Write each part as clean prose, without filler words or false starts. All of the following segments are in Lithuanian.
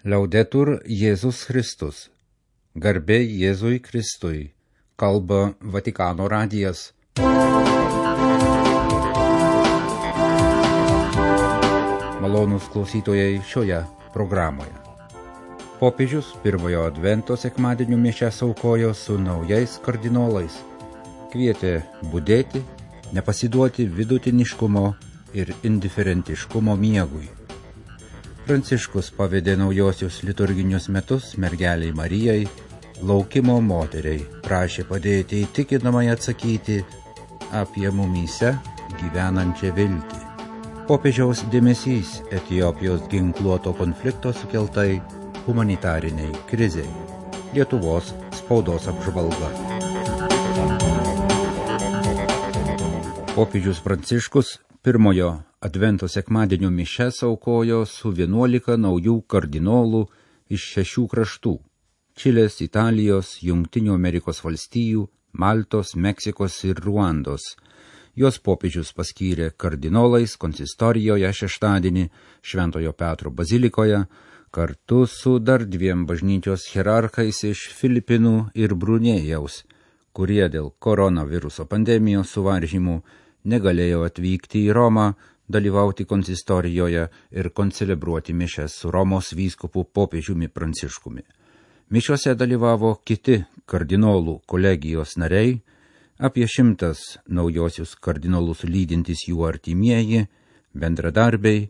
Laudetur Jėzus Kristus. Garbė Jėzui Kristui. Kalba Vatikano radijas. Malonūs klausytojai šioje programoje. Popiežius pirmojo advento sekmadienio mišias aukojo su naujais kardinolais. Kvietė budėti, nepasiduoti vidutiniškumo ir indiferentiškumo miegui. Pranciškus pavedė naujosius liturginius metus mergeliai Marijai, laukimo moteriai, prašė padėti įtikinamai atsakyti apie mumyse gyvenančią viltį. Popiežiaus dėmesys Etiopijos ginkluoto konflikto sukeltai humanitariniai krizei. Lietuvos spaudos apžvalga. Popiežius Pranciškus pirmojo advento sekmadienio mišias aukojo su 11 naujų kardinolų iš 6 kraštų – Čilės, Italijos, Jungtinių Amerikos valstijų, Maltos, Meksikos ir Ruandos. Jos popiežius paskyrė kardinolais konsistorijoje šeštadienį Šventojo Petro bazilikoje, kartu su dar 2 bažnyčios hierarchais iš Filipinų ir Brunėjaus, kurie dėl koronaviruso pandemijos suvaržymų negalėjo atvykti į Romą, dalyvauti konsistorijoje ir koncelebruoti mišias su Romos vyskupu popiežiumi Pranciškumi. Mišiose dalyvavo kiti kardinolų kolegijos nariai, apie 100 naujosius kardinolus lydintys jų artimieji, bendradarbiai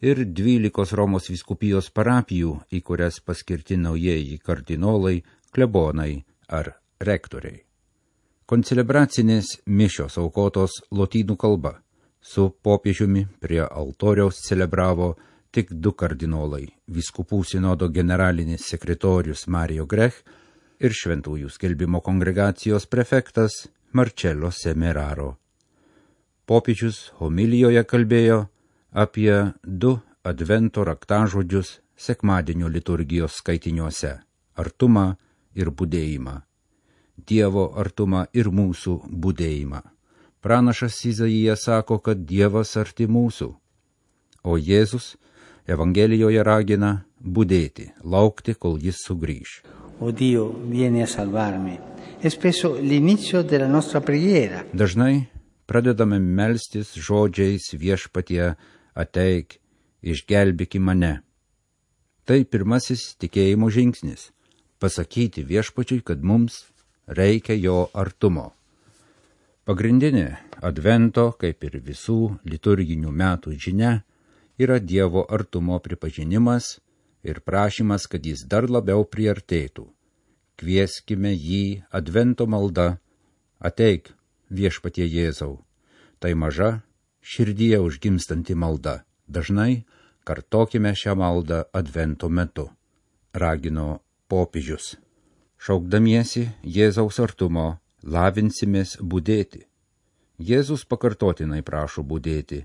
ir 12 Romos vyskupijos parapijų, į kurias paskirti naujieji kardinolai, klebonai ar rektoriai. Koncelebracinės mišios aukotos lotynų kalba. Su popiežiumi prie altoriaus celebravo tik 2 kardinolai – vyskupų sinodo generalinis sekretorius Mario Grech ir šventųjų skelbimo kongregacijos prefektas Marcello Semeraro. Popiežius homilijoje kalbėjo apie 2 advento raktažodžius sekmadienio liturgijos skaitiniuose – artumą ir budėjimą. Dievo artumą ir mūsų budėjimą. Pranašas Izaijas sako, kad Dievas arti mūsų, o Jėzus Evangelijoje ragina budėti, laukti, kol jis sugrįš. O Dio, vieni a salvarmi. È spesso l'inizio della nostra preghiera. Dažnai pradedame melstis žodžiais viešpatie ateik, išgelbėki mane. Tai pirmasis tikėjimo žingsnis – pasakyti viešpačiui, kad mums reikia jo artumo. Pagrindinė advento, kaip ir visų liturginių metų žinia, yra Dievo artumo pripažinimas ir prašymas, kad jis dar labiau priartėtų. Kvieskime jį advento malda, ateik viešpatie Jėzau. Tai maža, širdyje užgimstanti malda. Dažnai kartokime šią maldą advento metu, ragino popiežius. Šaukdamiesi Jėzaus artumo, lavinsimės budėti. Jėzus pakartotinai prašo budėti.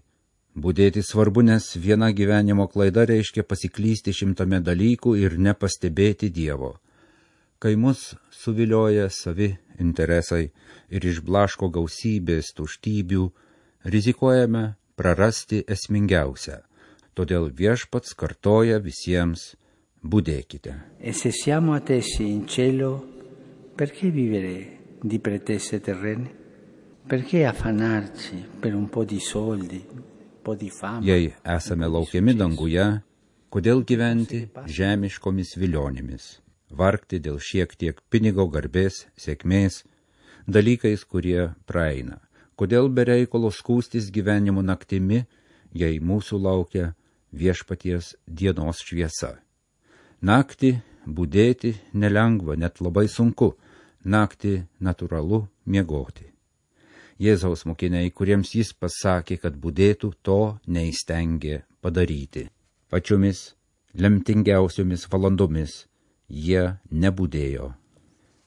Budėti svarbu, nes viena gyvenimo klaida reiškia pasiklysti 100 dalykų ir nepastebėti Dievo. Kai mus suvilioja savi interesai ir išblaško gausybės tuštybių, rizikuojame prarasti esmingiausią. Todėl viešpats kartoja visiems: budėkite. E se siamo attesi in cielo, perché vivere di pretese terrene? Perché affannarci per un po' di soldi, un po' di fama? Jei esame laukiami danguje, kodėl gyventi žemiškomis vilionėmis, vargti dėl šiek tiek pinigo, garbės, sėkmės, dalykais, kurie praeina? Kodėl be reikalo skųstis gyvenimo naktimi, jei mūsų laukia viešpaties dienos šviesa? Naktį budėti nelengva, net labai sunku. Naktį natūralu miegoti. Jėzaus mokiniai, kuriems jis pasakė, kad budėtų, to neįstengė padaryti. Pačiomis lemtingiausiomis valandomis jie nebudėjo.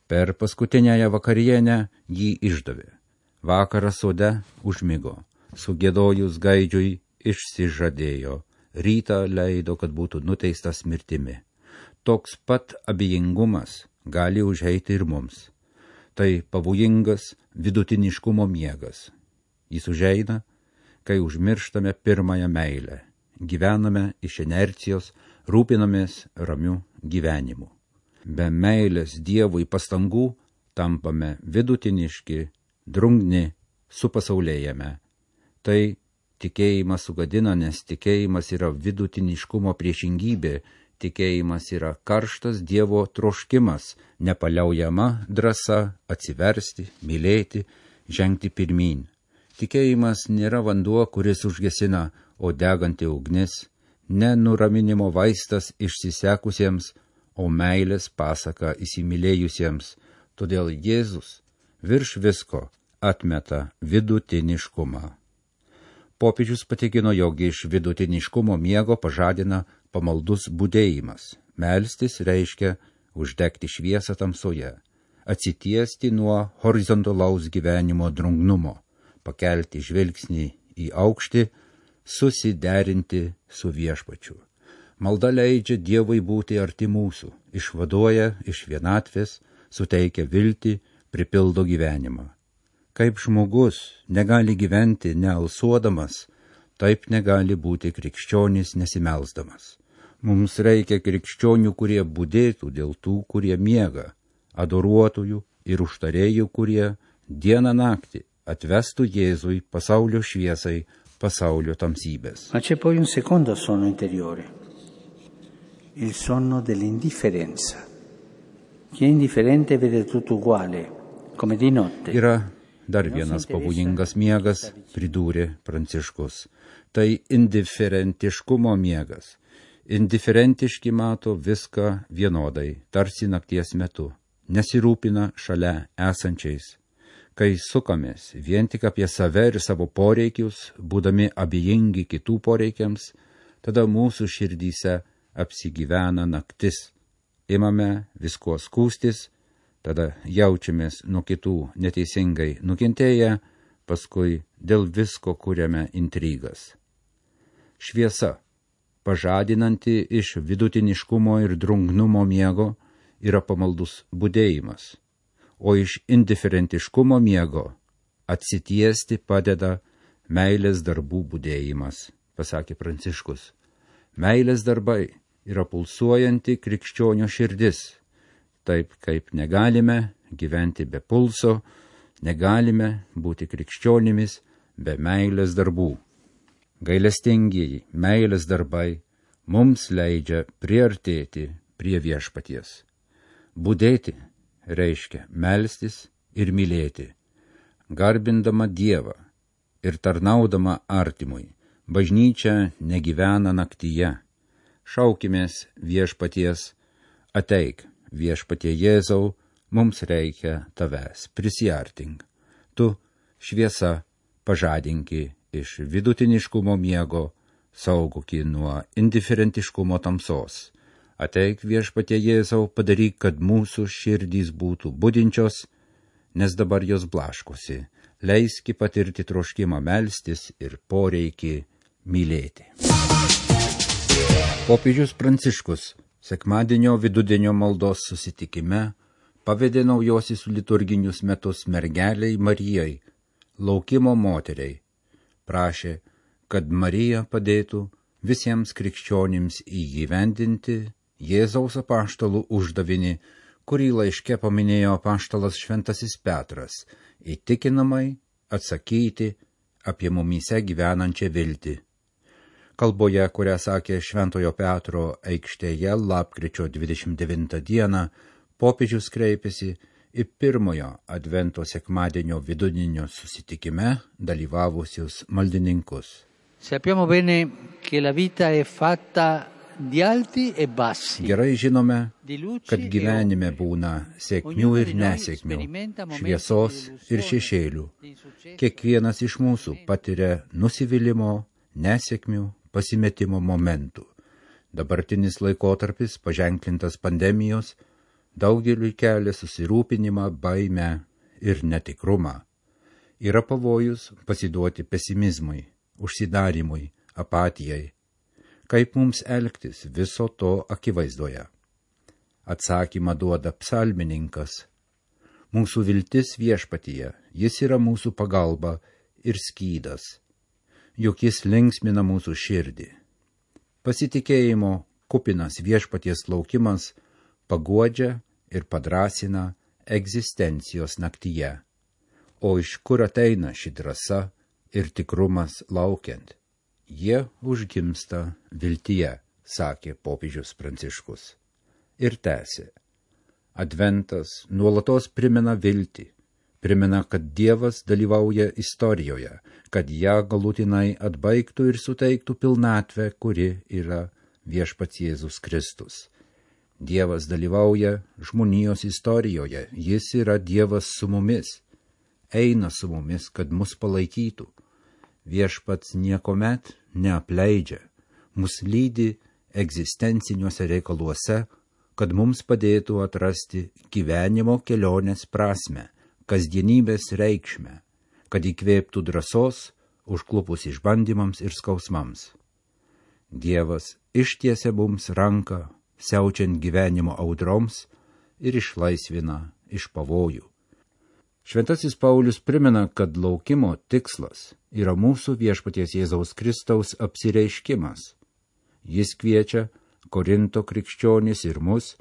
Per paskutinęją vakarienę jį išdavė. Vakarą sode užmigo. Sugėdojus gaidžiui išsižadėjo. Rytą leido, kad būtų nuteistas mirtimi. Toks pat abejingumas gali užeiti ir mums. Tai pavojingas vidutiniškumo miegas. Jis užeina, kai užmirštame pirmąją meilę. Gyvename iš inercijos, rūpinamės ramiu gyvenimu. Be meilės Dievui pastangų tampame vidutiniški, drungni, supasaulėjame. Tai tikėjimas sugadina, nes tikėjimas yra vidutiniškumo priešingybė, tikėjimas yra karštas Dievo troškimas, nepaliaujama drąsa atsiversti, mylėti, žengti pirmyn. Tikėjimas nėra vanduo, kuris užgesina, o deganti ugnis, ne nuraminimo vaistas išsisekusiems, o meilės pasaka įsimylėjusiems. Todėl Jėzus virš visko atmeta vidutiniškumą. Popiežius patikino, jog iš vidutiniškumo miego pažadina pamaldus budėjimas. Melstis reiškia uždegti šviesą tamsoje, atsitiesti nuo horizontalaus gyvenimo drungnumo, pakelti žvilgsnį į aukštį, susiderinti su viešpačiu. Malda leidžia Dievui būti arti mūsų, išvaduoja iš vienatvės, suteikia viltį, pripildo gyvenimą. Kaip žmogus negali gyventi nealsuodamas, taip negali būti krikščionis nesimelsdamas. Mums reikia krikščionių, kurie budėtų dėl tų, kurie miega, adoruotojų ir užtarėjų, kurie dieną naktį atvestų Jėzui pasaulio šviesai, pasaulio tamsybės. Ma c'è poi un secondo sonno interiore, il sonno dell'indifferenza. Chi è indifferente vede tutto uguale, come di notte. Yra dar vienas pavojingas miegas, pridūrė Pranciškus. Tai indiferentiškumo miegas. Indiferentiški mato viską vienodai, tarsi nakties metu, nesirūpina šalia esančiais. Kai sukamės vien tik apie save ir savo poreikius, būdami abejingi kitų poreikiams, tada mūsų širdyse apsigyvena naktis. Imame visko skūstis, tada jaučiamės nuo kitų neteisingai nukentėję, paskui dėl visko kuriame intrigas. Šviesa, pažadinanti iš vidutiniškumo ir drungnumo miego, yra pamaldus budėjimas, o iš indiferentiškumo miego atsitiesti padeda meilės darbų budėjimas, pasakė Pranciškus. Meilės darbai yra pulsuojanti krikščionio širdis, taip kaip negalime gyventi be pulso, negalime būti krikščionimis be meilės darbų. Gailestingieji meilės darbai mums leidžia priartėti prie viešpaties. Budėti reiškia melstis ir mylėti, garbindama Dievą ir tarnaudama artimui. Bažnyčia negyvena naktyje. Šaukimės viešpaties, ateik, viešpatie Jėzau, mums reikia tavęs, prisiartink. Tu, šviesa, pažadinki iš vidutiniškumo miego, saugoki nuo indiferentiškumo tamsos. Ateik, viešpatie Jėzau, padaryk, kad mūsų širdys būtų budinčios, nes dabar jos blaškosi. Leiski patirti troškimą melstis ir poreikį mylėti. Popiežius Pranciškus sekmadienio vidudienio maldos susitikime pavedė naujosius liturginius metus mergeliai Marijai, laukimo moteriai. Prašė, kad Marija padėtų visiems krikščionims įgyvendinti Jėzaus apaštalų uždavinį, kurį laiške paminėjo apaštalas Šventasis Petras, įtikinamai atsakyti apie mumyse gyvenančią viltį. Kalboje, kurią sakė Šventojo Petro aikštėje lapkričio 29 dieną, popiežius kreipėsi į pirmojo advento sekmadienio vidudienio susitikime dalyvavusius maldininkus. Sappiamo bene che la vita è fatta di alti e bassi. Gerai žinome, kad gyvenime būna sėkmių ir nesėkmių, šviesos ir šešėlių. Kiekvienas iš mūsų patiria nusivylimo, nesėkmių, pasimetimo momentų. Dabartinis laikotarpis, paženklintas pandemijos, daugeliui kelia susirūpinimą, baimę ir netikrumą. Yra pavojus pasiduoti pesimizmui, užsidarimui, apatijai. Kaip mums elgtis viso to akivaizdoje? Atsakymą duoda psalmininkas. Mūsų viltis viešpatyje, jis yra mūsų pagalba ir skydas, juk jis linksmina mūsų širdį. Pasitikėjimo kupinas viešpaties laukimas paguodžia ir padrasina egzistencijos naktyje. O iš kur ateina ši drąsa ir tikrumas laukiant? Jie užgimsta viltyje, sakė popiežius Pranciškus. Ir tęsė. Adventas nuolatos primena viltį, primena, kad Dievas dalyvauja istorijoje, kad ją galutinai atbaigtų ir suteiktų pilnatvę, kuri yra viešpats Jėzus Kristus. Dievas dalyvauja žmonijos istorijoje, jis yra Dievas su mumis, eina su mumis, kad mus palaikytų. Viešpats niekomet neapleidžia, mus lydi egzistenciniuose reikaluose, kad mums padėtų atrasti gyvenimo kelionės prasmę, kasdienybės reikšmę, kad įkvėptų drąsos užklupus išbandymams ir skausmams. Dievas ištiesia mums ranką, siaučiant gyvenimo audroms ir išlaisvina iš pavojų. Šventasis Paulius primena, kad laukimo tikslas yra mūsų viešpaties Jėzaus Kristaus apsireiškimas. Jis kviečia Korinto krikščionis ir mus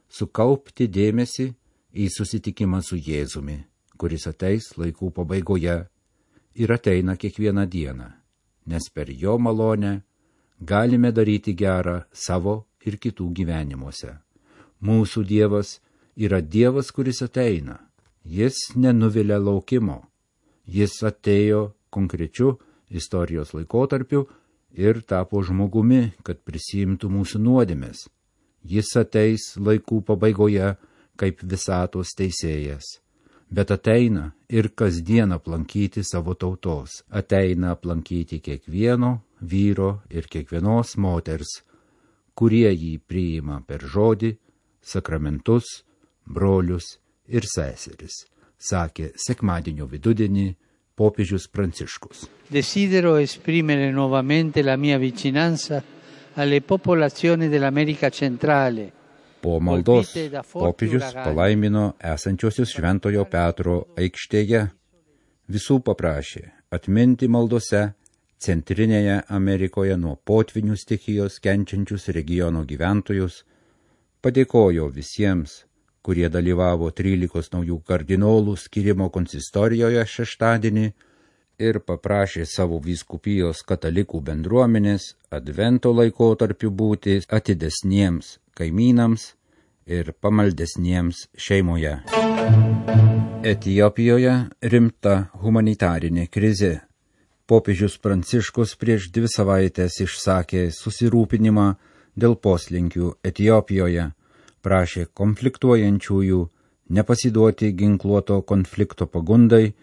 sukaupti dėmesį į susitikimą su Jėzumi, kuris ateis laikų pabaigoje ir ateina kiekvieną dieną, nes per jo malonę galime daryti gerą savo ir kitų gyvenimuose. Mūsų Dievas yra Dievas, kuris ateina. Jis nenuvilia laukimo. Jis atėjo konkrečiu istorijos laikotarpiu ir tapo žmogumi, kad prisiimtų mūsų nuodėmes. Jis ateis laikų pabaigoje kaip visatos teisėjas. Bet ateina ir kasdien aplankyti savo tautos. Ateina aplankyti kiekvieno vyro ir kiekvienos moters, kurie jį priima per žodį, sakramentus, brolius ir seseris, sakė sekmadienio vidudienį popiežius Pranciškus. Desidero esprimere nuovamente la mia vicinanza alle popolazioni dell'America centrale. Po maldos popiežius palaimino esančiosius Šventojo Petro aikštėje. Visų paprašė atminti maldose Centrinėje Amerikoje nuo potvinių stichijos kenčiančius regiono gyventojus, padėkojo visiems, kurie dalyvavo 13 naujų kardinolų skyrimo konsistorijoje šeštadienį ir paprašė savo vyskupijos katalikų bendruomenės advento laikotarpiu būti atidesniems kaimynams ir pamaldesniems šeimoje. Etiopijoje rimta humanitarinė krizė. Popiežius Pranciškus prieš 2 savaitės išsakė susirūpinimą dėl poslinkių Etiopijoje, prašė konfliktuojančiųjų nepasiduoti ginkluoto konflikto pagundai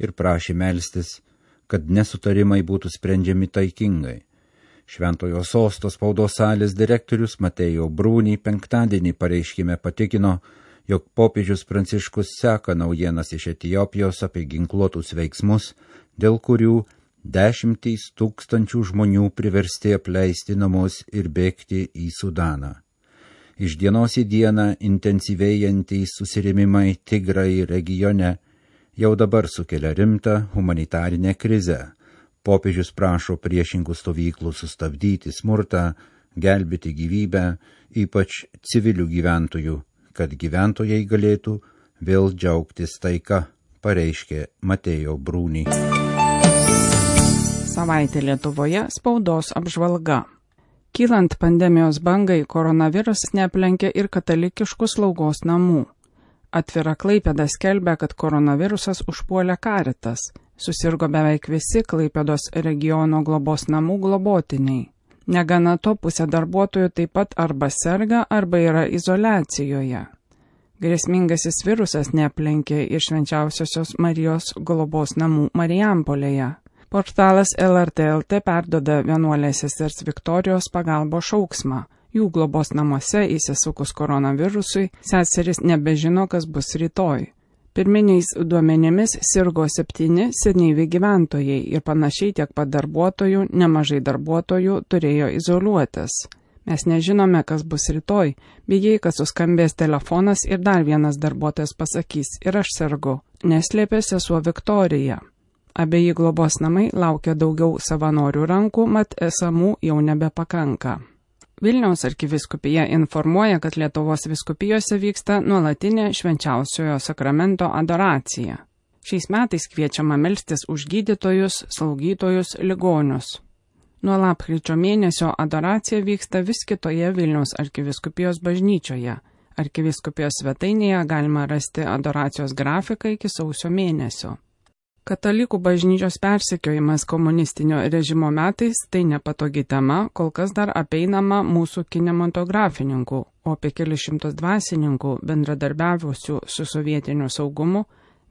ir prašė melstis, kad nesutarimai būtų sprendžiami taikingai. Šventojo sosto spaudos salės direktorius Mateo Bruni penktadienį pareiškime patikino, jog popiežius Pranciškus seka naujienas iš Etiopijos apie ginkluotus veiksmus, dėl kurių 10 000 žmonių priversti apleisti namus ir bėgti į Sudaną. Iš dienos į dieną intensyvėjantys susirėmimai Tigrai regione jau dabar sukelia rimtą humanitarinę krizę. Popiežius prašo priešingų stovyklų sustabdyti smurtą, gelbėti gyvybę, ypač civilių gyventojų, kad gyventojai galėtų vėl džiaugtis taika, pareiškė Mateo Bruni. Savaitė Lietuvoje spaudos apžvalga. Kylant pandemijos bangai, koronavirusas neaplenkė ir katalikiškų slaugos namų. Atvira Klaipėda skelbia, kad koronavirusas užpuolė Caritas. Susirgo beveik visi Klaipėdos regiono globos namų globotiniai. Negana to, pusė darbuotojų taip pat arba serga, arba yra izoliacijoje. Grėsmingasis virusas neaplenkė ir Švenčiausiosios Marijos globos namų Marijampolėje. Portalas LRT LT perduoda vienuolės sesers Viktorijos pagalbos šauksmą. Jų globos namuose įsisukus koronavirusui, seserys nebežino, kas bus rytoj. Pirminiais duomenimis sirgo 7 senyvi gyventojai ir panašiai tiek pat darbuotojų, nemažai darbuotojų turėjo izoliuotis. Mes nežinome, kas bus rytoj, bijai, kad suskambės telefonas ir dar vienas darbuotojas pasakys, ir aš sergu, neslėpė sesuo Viktorija. Abeji globos namai laukia daugiau savanorių rankų, mat esamų jau nebepakanka. Vilniaus arkivyskupija informuoja, kad Lietuvos vyskupijose vyksta nuolatinė švenčiausiojo sakramento adoracija. Šiais metais kviečiama melstis už gydytojus, slaugytojus, ligonius. Nuo lapkričio mėnesio adoracija vyksta vis kitoje Vilniaus arkivyskupijos bažnyčioje. Arkivyskupijos svetainėje galima rasti adoracijos grafiką iki sausio mėnesio. Katalikų bažnyčios persekiojimas komunistinio režimo metais tai nepatogi tema, kol kas dar apeinama mūsų kinematografininkų, o apie kelius šimtus dvasininkų bendradarbiavusių su sovietiniu saugumu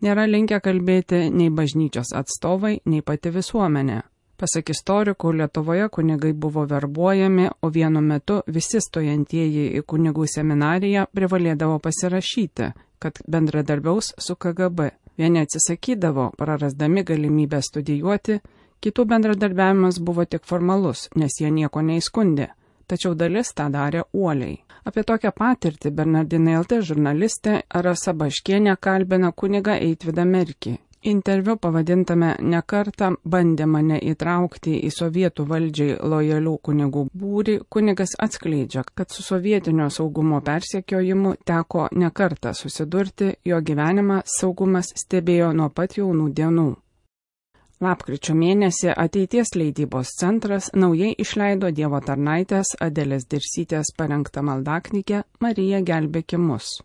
nėra linkę kalbėti nei bažnyčios atstovai, nei pati visuomenė. Pasak istorikų, Lietuvoje kunigai buvo verbuojami, o vienu metu visi stojantieji į kunigų seminariją privalėdavo pasirašyti, kad bendradarbiaus su KGB. Vieni atsisakydavo, prarasdami galimybę studijuoti, kitų bendradarbiavimas buvo tik formalus, nes jie nieko neįskundė, tačiau dalis tą darė uoliai. Apie tokią patirtį Bernardinai LT žurnalistė Rasa Baškienė kalbina kunigą Eitvydą Merkį. Interviu pavadintame "Nekartą bandė mane įtraukti į sovietų valdžiai lojalių kunigų būrį", kunigas atskleidžia, kad su sovietinio saugumo persekiojimu teko nekartą susidurti, jo gyvenimą saugumas stebėjo nuo pat jaunų dienų. Lapkričio mėnesį Ateities leidybos centras naujai išleido Dievo tarnaitės Adelės Dirsytės parengtą maldaknygę Marija gelbėki mus.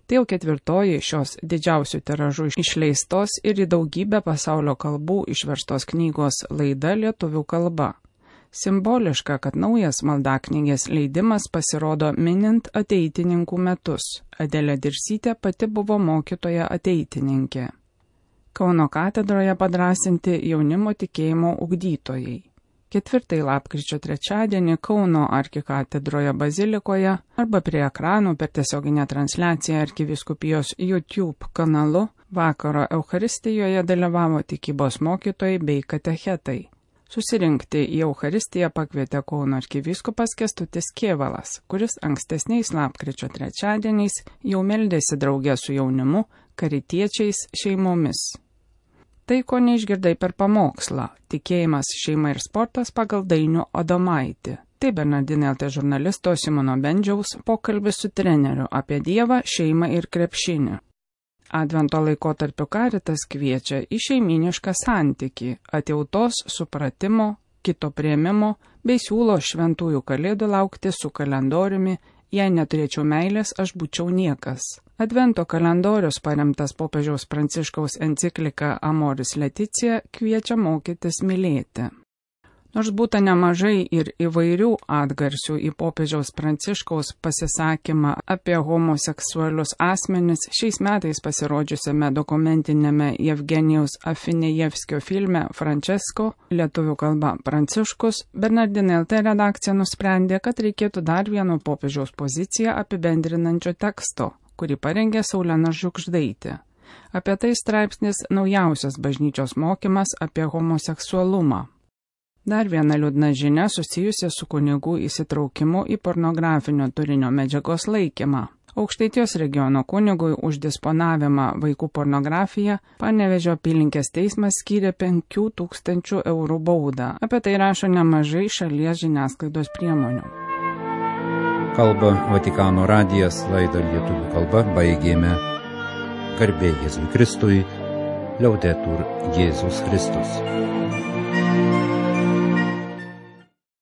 Tai jau 4. šios didžiausių tiražų išleistos ir į daugybę pasaulio kalbų išverstos knygos laida lietuvių kalba. Simboliška, kad naujas maldaknygės leidimas pasirodo minint ateitininkų metus. Adelė Dirsytė pati buvo mokytoja ateitininkė. Kauno katedroje padrasinti jaunimo tikėjimo ugdytojai. 4 lapkričio trečiadienį Kauno arkikatedroje bazilikoje arba prie ekranų per tiesioginę transliaciją arkivyskupijos YouTube kanalu vakaro Eucharistijoje dalyvavo tikybos mokytojai bei katechetai. Susirinkti į Eucharistiją pakvietė Kauno arkivyskupas Kęstutis Kėvalas, kuris ankstesniais lapkričio trečiadieniais jau meldėsi drauge su jaunimu, karitiečiais, šeimomis. Tai, ko neišgirdai per pamokslą – tikėjimas, šeima ir sportas pagal Dainių Adomaitį. Tai Bernardinai LT žurnalisto Simono Bendžiaus pokalbis su treneriu apie Dievą, šeimą ir krepšinį. Advento laikotarpiu Karitas kviečia į šeiminišką santykį, atjautos, supratimo, kito priėmimo bei siūlo šventųjų kalėdų laukti su kalendoriumi "Jei neturėčiau meilės, aš būčiau niekas". Advento kalendorius paremtas popiežiaus Pranciškaus enciklika Amoris Laetitia kviečia mokytis mylėti. Nors būta nemažai ir įvairių atgarsių į popiežiaus Pranciškaus pasisakymą apie homoseksualius asmenis, šiais metais pasirodžiusiame dokumentinėme Jevgenijaus Afinejevskio filme Francesco, lietuvių kalba Pranciškus, Bernardinai LT redakcija nusprendė, kad reikėtų dar vieno popiežiaus poziciją apibendrinančio teksto, kurį parengė Saulena Žugždaitė. Apie tai straipsnis "Naujausias bažnyčios mokymas apie homoseksualumą". Dar viena liūdna žinia susijusi su kunigų įsitraukimu į pornografinio turinio medžiagos laikymą. Aukštaitijos regiono kunigui už disponavimą vaikų pornografiją Panevėžio apylinkės teismas skyrė 5 000 eurų baudą. Apie tai rašo nemažai šalies žiniasklaidos priemonių. Kalba Vatikano radijas, laidą lietuvių kalba baigėme. Garbė Jėzui Kristui, Liaudetur Jėzus Kristus.